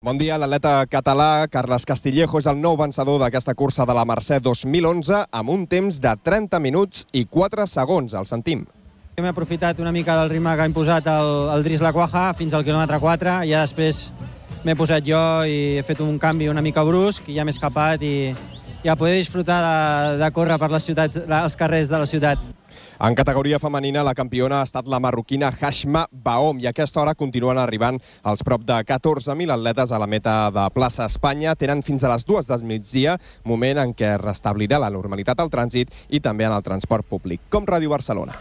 Bon dia, l'atleta català Carles Castillejo és el nou vencedor d'aquesta cursa de la Mercè 2011 amb un temps de 30 minuts i 4 segons. El sentim. M'he aprofitat una mica del ritme que ha imposat el Dries Laquaja fins al quilòmetre 4 i ja després m'he posat jo i he fet un canvi una mica brusc i ja m'he escapat i ja poder disfrutar de córrer per les ciutats, els carrers de la ciutat. En categoria femenina, la campiona ha estat la marroquina Hashma Baom i a aquesta hora continuen arribant els prop de 14.000 atletes a la meta de plaça Espanya. Tenen fins a les 2 del migdia, moment en què es restablirà la normalitat al trànsit i també en el transport públic. Com Ràdio Barcelona.